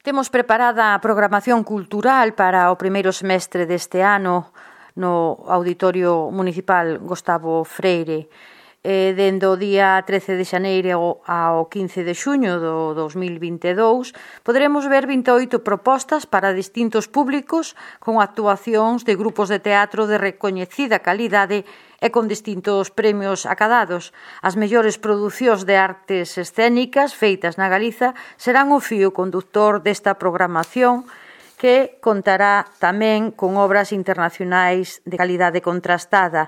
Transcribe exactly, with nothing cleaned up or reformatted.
Temos preparada a programación cultural para o primeiro semestre deste ano no Auditorio Municipal Gustavo Freire. Eh, dende o día trece de xaneiro ao quince de xuño do dos mil vinte e dous poderemos ver vinte e oito propostas para distintos públicos con actuacións de grupos de teatro de recoñecida calidade e con distintos premios acadados. As mellores producións de artes escénicas feitas na Galiza serán o fío conductor desta programación, que contará tamén con obras internacionais de calidade contrastada.